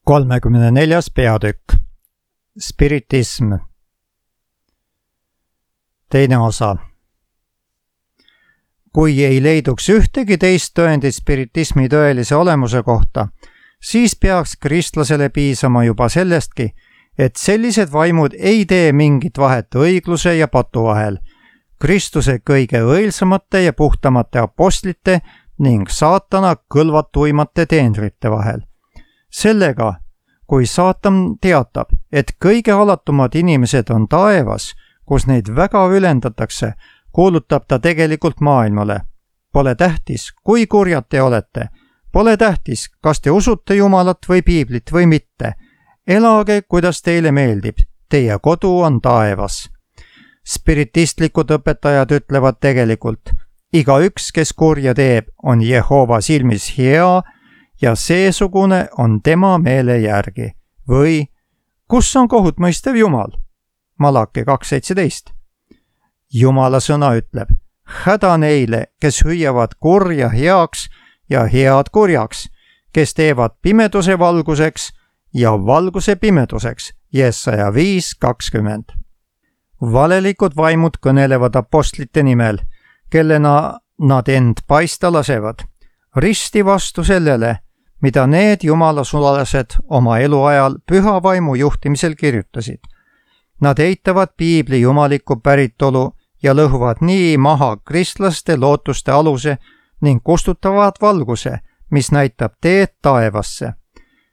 34. peatükk. Spiritism. Teine osa. Kui ei leiduks ühtegi teist tõendit spiritismi tõelise olemuse kohta, siis peaks kristlasele piisama juba sellestki, et sellised vaimud ei tee mingit vahet õigluse ja patu vahel, Kristuse kõige õilsamate ja puhtamate apostlite ning saatana kõlvatuimate teenrite vahel. Sellega, kui saatan teatab, et kõige alatumad inimesed on taevas, kus neid väga ülendatakse, kuulutab ta tegelikult maailmale. Pole tähtis, kui kurjad te olete. Pole tähtis, kas te usute Jumalat või piiblit või mitte. Elage, kuidas teile meeldib. Teie kodu on taevas. Spiritistlikud õpetajad ütlevad tegelikult, igaüks, kes kurja teeb, on Jehova silmis hea ja seesugune on tema meele järgi. Või, kus on kohut mõistev Jumal? Malaki 2.17. Jumala sõna ütleb, häda neile, kes hüüavad kurja heaks ja head kurjaks, kes teevad pimeduse valguseks ja valguse pimeduseks. Jesaja 5.20. Valelikud vaimud kõnelevad apostlite nimel, kellena nad end paista lasevad, risti vastu sellele, mida need jumala sulased oma eluajal püha vaimu juhtimisel kirjutasid. Nad eitavad piibli jumalikku päritolu ja lõhuvad nii maha kristlaste lootuste aluse ning kustutavad valguse, mis näitab teed taevasse.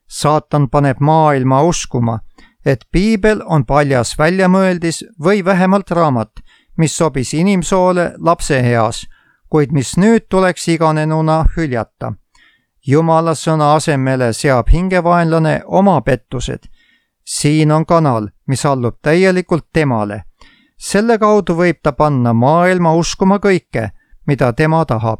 Saatan paneb maailma uskuma, et piibel on paljas väljamõeldis või vähemalt raamat, mis sobis inimsoole lapse eas, kuid mis nüüd tuleks iganenuna hüljata. Jumala sõna asemele seab hingevaenlane oma pettused. Siin on kanal, mis allub täielikult temale. Selle kaudu võib ta panna maailma uskuma kõike, mida tema tahab.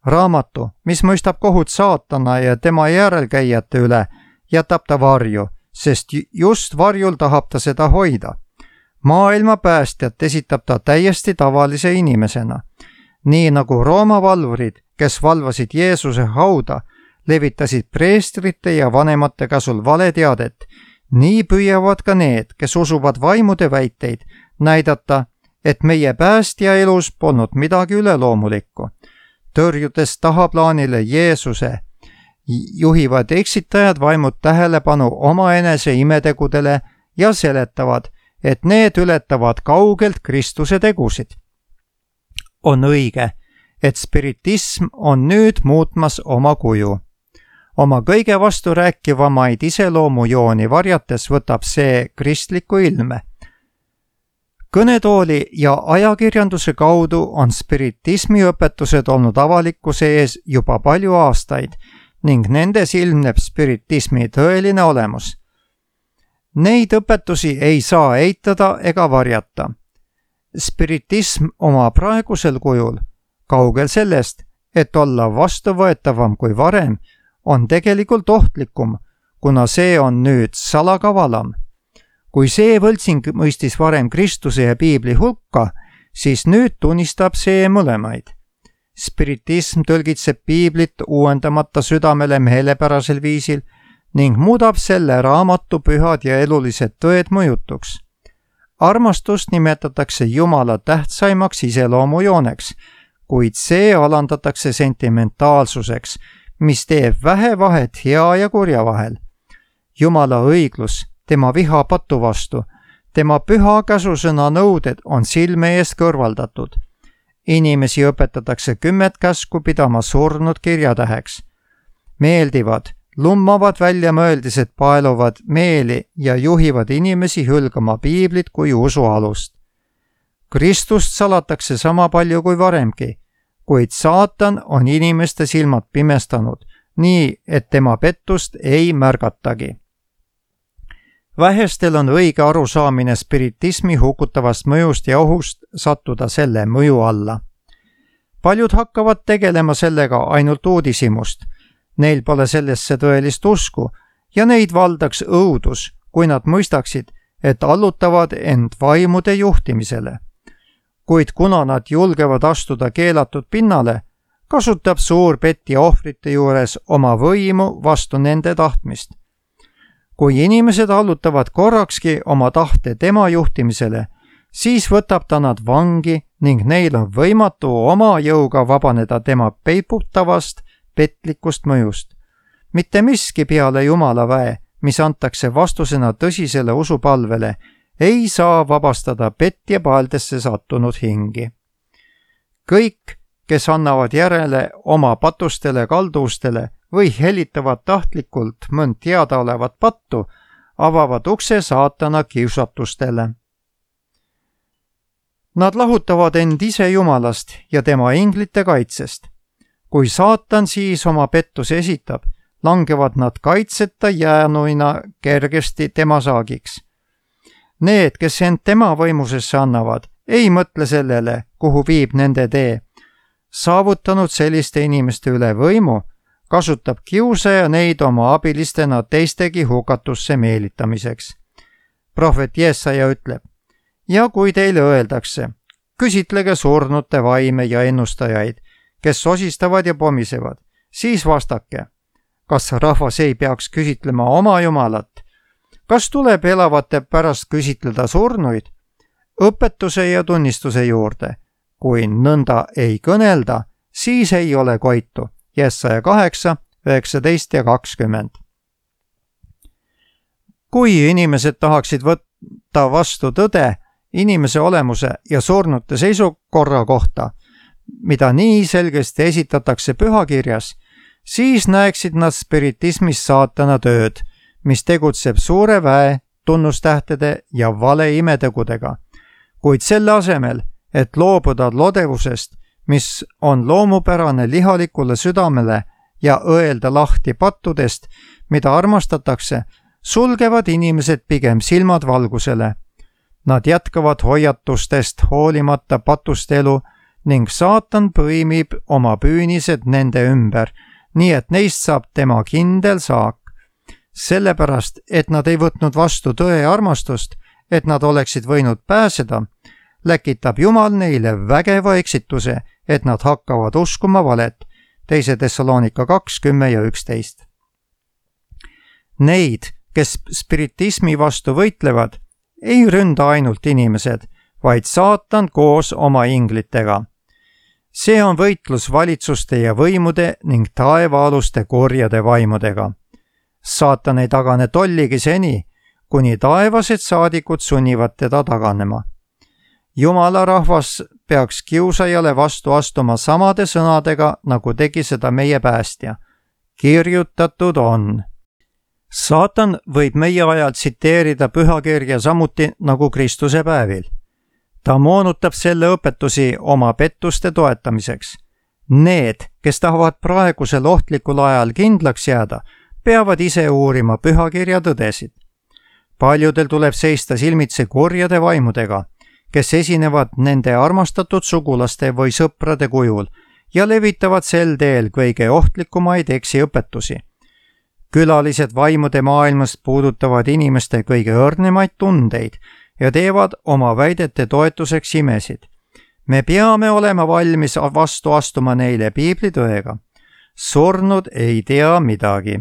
Raamatu, mis mõistab kohut saatana ja tema järelkäijate üle, jätab ta varju, sest just varjul tahab ta seda hoida. Maailma päästjat esitab ta täiesti tavalise inimesena. Nii nagu Rooma valvurid, kes valvasid Jeesuse hauda, levitasid preestrite ja vanemate käsul valeteadet, nii püüavad ka need, kes usuvad vaimude väiteid, näidata, et meie päästja elus polnud midagi üleloomulikku. Tõrjudes tahaplaanile Jeesuse, juhivad eksitajad vaimud tähelepanu omaenese imetegudele ja seletavad, et need ületavad kaugelt Kristuse tegusid. On õige, et spiritism on nüüd muutmas oma kuju. Oma kõige vasturääkivamaid iseloomujooni varjates võtab see kristliku ilme. Kõnetooli ja ajakirjanduse kaudu on spiritismi õpetused olnud avalikkuse ees juba palju aastaid ning nendes ilmneb spiritismi tõeline olemus. Neid õpetusi ei saa eitada ega varjata. Spiritism oma praegusel kujul, kaugel sellest, et olla vastuvõetavam kui varem, on tegelikult ohtlikum, kuna see on nüüd salakavalam. Kui see võltsing mõistis varem Kristuse ja piibli hulka, siis nüüd tunnistab see mõlemaid. Spiritism tõlgitseb piiblit uuendamata südamele meelepärasel viisil ning muudab selle raamatu pühad ja elulised tõed mõjutuks. Armastust nimetatakse Jumala tähtsaimaks iseloomujooneks, kuid see alandatakse sentimentaalsuseks, mis teeb vähe vahet hea ja kurja vahel. Jumala õiglus, tema viha patu vastu, tema püha käsusõna nõuded on silme eest kõrvaldatud. Inimesi õpetatakse 10 käsku pidama surnud kirjatäheks. Meeldivad, lummavad väljamõeldised paeluvad meeli ja juhivad inimesi hülgama piiblit kui usualust. Kristust salatakse sama palju kui varemgi, kuid saatan on inimeste silmad pimestanud, nii et tema pettust ei märgatagi. Vähestel on õige arusaamine spiritismi hukutavast mõjust ja ohust sattuda selle mõju alla. Paljud hakkavad tegelema sellega ainult uudishimust. Neil pole sellesse tõelist usku ja neid valdaks õudus, kui nad mõistaksid, et allutavad end vaimude juhtimisele. Kuid kuna nad julgevad astuda keelatud pinnale, kasutab suur petja ohvrite juures oma võimu vastu nende tahtmist. kui inimesed allutavad korrakski oma tahte tema juhtimisele, siis võtab ta nad vangi ning neil on võimatu oma jõuga vabaneda tema peiputavast, petlikust mõjust. Mitte miski peale Jumala väe, mis antakse vastusena tõsisele usupalvele, ei saa vabastada petja paeldesse sattunud hingi. Kõik, kes annavad järele oma patustele kalduvustele või helitavad tahtlikult mõnd teadaolevat pattu, avavad ukse saatana kiusatustele. Nad lahutavad end ise Jumalast ja tema inglite kaitsest. Kui saatan siis oma pettuse esitab, langevad nad kaitseta jäänuina kergesti tema saagiks. Need, kes end tema võimusesse annavad, ei mõtle sellele, kuhu viib nende tee. Saavutanud selliste inimeste üle võimu, kasutab kiusaja neid oma abilistena teistegi hukatusse meelitamiseks. Prohvet Jesaja ütleb, ja kui teile öeldakse, küsitlege surnute vaime ja ennustajaid, kes sosistavad ja pomisevad, siis vastake, kas rahvas ei peaks küsitlema oma Jumalat? Kas tuleb elavate pärast küsitleda surnuid? Õpetuse ja tunnistuse juurde. Kui nõnda ei kõnelda, siis ei ole koitu. Jesaja 8, 19 ja 20. Kui inimesed tahaksid võtta vastu tõde inimese olemuse ja surnute seisukorra kohta, mida nii selgesti esitatakse pühakirjas, siis näeksid nad spiritismis saatana tööd, mis tegutseb suure väe, tunnustähtede ja vale imetegudega. Kuid selle asemel, et loobuda lodevusest, mis on loomupärane lihalikule südamele ja õelda lahti pattudest, mida armastatakse, sulgevad inimesed pigem silmad valgusele. Nad jätkavad hoiatustest hoolimata patust elu ning saatan põimib oma püünised nende ümber, nii et neist saab tema kindel saak. Sellepärast, et nad ei võtnud vastu tõe armastust, et nad oleksid võinud pääseda, läkitab Jumal neile vägeva eksituse, et nad hakkavad uskuma valet. 2. Thessalonika 2, 10 ja 11. Neid, kes spiritismi vastu võitlevad, ei ründa ainult inimesed, vaid saatan koos oma inglitega. See on võitlus valitsuste ja võimude ning taevaaluste korjade vaimudega. Saatan ei tagane tolligi seni, kuni taevased saadikud sunnivad teda taganema. Jumala rahvas peaks kiusajale vastu astuma samade sõnadega, nagu tegi seda meie päästja. Kirjutatud on. Saatan võib meie ajal tsiteerida pühakirja samuti nagu Kristuse päevil. Ta moonutab selle õpetusi oma pettuste toetamiseks. Need, kes tahavad praegusel ohtlikul ajal kindlaks jääda, peavad ise uurima pühakirja tõdesid. Paljudel tuleb seista silmitsi kurjade vaimudega, kes esinevad nende armastatud sugulaste või sõprade kujul ja levitavad sel teel kõige ohtlikumaid eksiõpetusi. Külalised vaimude maailmast puudutavad inimeste kõige õrnemaid tundeid ja teevad oma väidete toetuseks imesid. Me peame olema valmis vastu astuma neile piiblitõega. Surnud ei tea midagi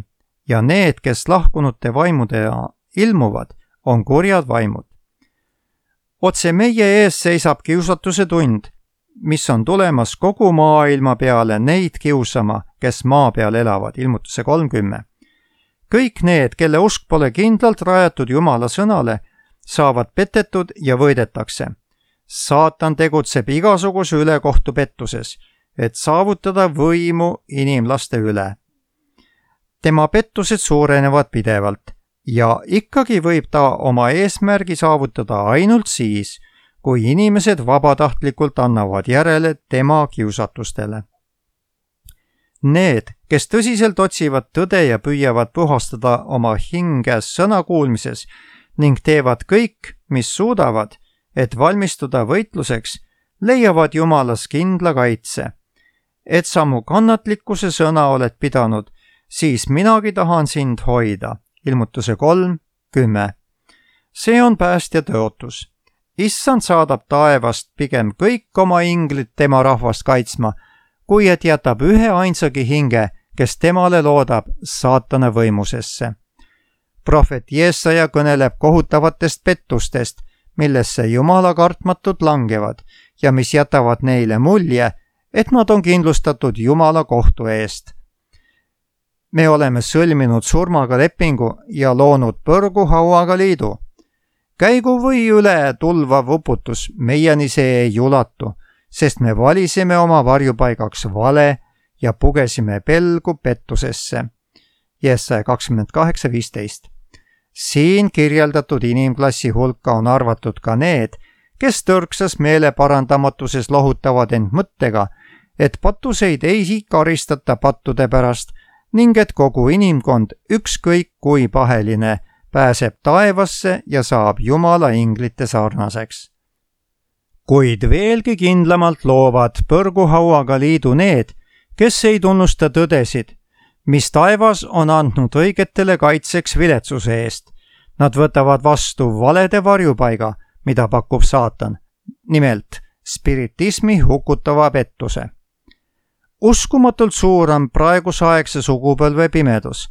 ja need, kes lahkunute vaimudena ilmuvad, on kurjad vaimud. Otse meie ees seisab kiusatuse tund, mis on tulemas kogu maailma peale neid kiusama, kes maa peal elavad, ilmutuse 30. Kõik need, kelle usk pole kindlalt rajatud Jumala sõnale, saavad petetud ja võidetakse. Saatan tegutseb igasuguse ülekohtu pettuses, et saavutada võimu inimlaste üle. Tema pettused suurenevad pidevalt ja ikkagi võib ta oma eesmärgi saavutada ainult siis, kui inimesed vabatahtlikult annavad järele tema kiusatustele. Need, kes tõsiselt otsivad tõde ja püüavad puhastada oma hinge sõna kuulmises ning teevad kõik, mis suudavad, et valmistuda võitluseks, leiavad Jumalas kindla kaitse. Et sa mu kannatlikkuse sõna oled pidanud, siis minagi tahan sind hoida. Ilmutuse 3, 10. See on päästja tõotus. Issand saadab taevast pigem kõik oma inglid tema rahvast kaitsma, kui et jätab ühe ainsagi hinge, kes temale loodab saatana võimusesse. Prohvet Jesaja kõneleb kohutavatest pettustest, millesse Jumala kartmatud langevad ja mis jätavad neile mulje, et nad on kindlustatud Jumala kohtu eest. Me oleme sõlminud surmaga lepingu ja loonud põrguhauaga liidu. Käigu või üle tulvav uputus, meieni see ei ulatu, sest me valisime oma varjupaigaks vale ja pugesime pelgu pettusesse. Jesaja 28:15. Siin kirjeldatud inimklassi hulka on arvatud ka need, kes tõrksas meeleparandamatuses lohutavad end mõttega, et pattuseid ei karistata pattude pärast ning et kogu inimkond, ükskõik kui paheline, pääseb taevasse ja saab Jumala inglite sarnaseks. Kuid veelgi kindlamalt loovad põrguhauaga liidu need, kes ei tunnusta tõdesid, mis taevas on andnud õigetele kaitseks viletsuse eest. Nad võtavad vastu valede varjupaiga, mida pakub saatan, nimelt spiritismi hukutava pettuse. Uskumatult suur on praegusaegse sugupõlve pimedus.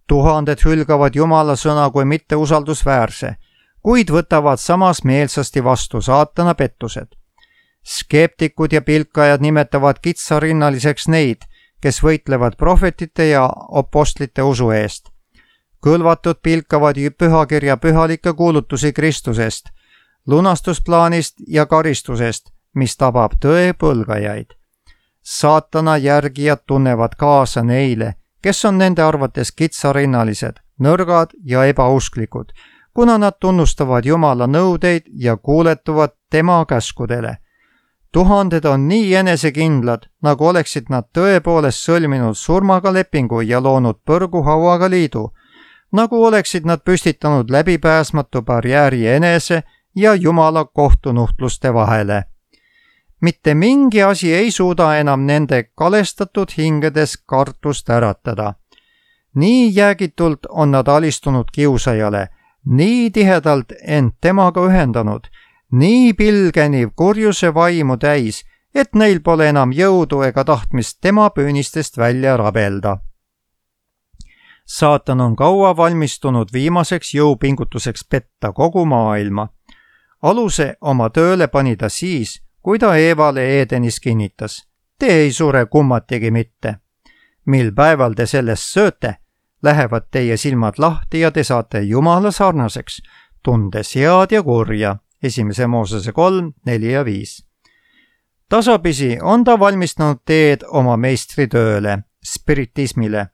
Tuhanded hülgavad Jumala sõna kui mitte usaldusväärse, kuid võtavad samas meelsasti vastu saatana pettused. Skeptikud ja pilkajad nimetavad kitsarinnaliseks neid, kes võitlevad prohvetite ja apostlite usu eest. Kõlvatud pilkavad pühakirja pühalikke kuulutusi Kristusest, lunastusplaanist ja karistusest, mis tabab tõe põlgajaid. Saatana järgijad tunnevad kaasa neile, kes on nende arvates kitsarinnalised, nõrgad ja ebausklikud, kuna nad tunnustavad Jumala nõudeid ja kuuletuvad tema käskudele. Tuhanded on nii enesekindlad, nagu oleksid nad tõepoolest sõlminud surmaga lepingu ja loonud põrguhauaga liidu, nagu oleksid nad püstitanud läbipääsmatu barjääri enese ja Jumala kohtunuhtluste vahele. Mitte mingi asi ei suuda enam nende kalestatud hingedes kartust äratada. Nii jäägitult on nad alistunud kiusajale, nii tihedalt end temaga ühendanud, nii pilgeni kurjuse vaimu täis, et neil pole enam jõudu ega tahtmist tema püünistest välja rabelda. Saatan on kaua valmistunud viimaseks jõupingutuseks petta kogu maailma. Aluse oma tööle pani ta siis, kui ta Eevale Eedenis kinnitas, te ei sure kummatigi mitte. Mil päeval te sellest sööte, lähevad teie silmad lahti ja te saate Jumala sarnaseks, tundes head ja kurja. 1. Moosese 3, 4 ja 5. Tasapisi on ta valmistanud teed oma meistri tööle, spiritismile.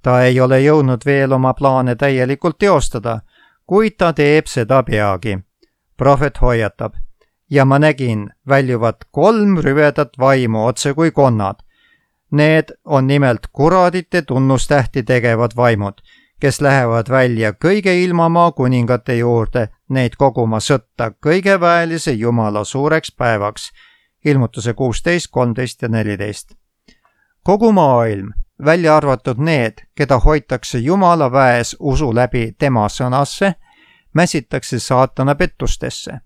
Ta ei ole jõudnud veel oma plaane täielikult teostada, kuid ta teeb seda peagi. Prohvet hoiatab, ja ma nägin väljuvat 3 rüvedat vaimu otse kui konnad. Need on nimelt kuradite tunnustähti tegevad vaimud, kes lähevad välja kõige ilmamaa kuningate juurde, neid koguma sõtta kõige väelise Jumala suureks päevaks. Ilmutuse 16, 13 ja 14. Kogu maailm, välja arvatud need, keda hoitakse Jumala väes usu läbi tema sõnasse, mäsitakse saatana pettustesse.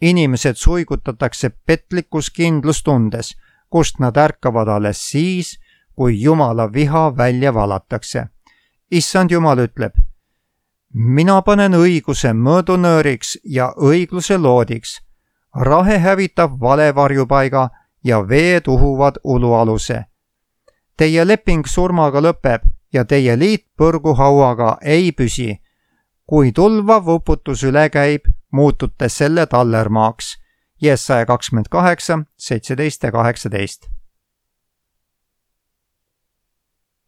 Inimesed suigutatakse petlikus kindlustundes, kust nad ärkavad alles siis, kui Jumala viha välja valatakse. Issand Jumal ütleb, mina panen õiguse mõõdunööriks ja õigluse loodiks. Rahe hävitab vale varjupaiga ja veed uhuvad ulualuse. Teie leping surmaga lõpeb ja teie liit põrguhauaga ei püsi. Kui tulvav uputus üle käib, muutute selle tallermaaks. Jesaja 28, 17 ja 18.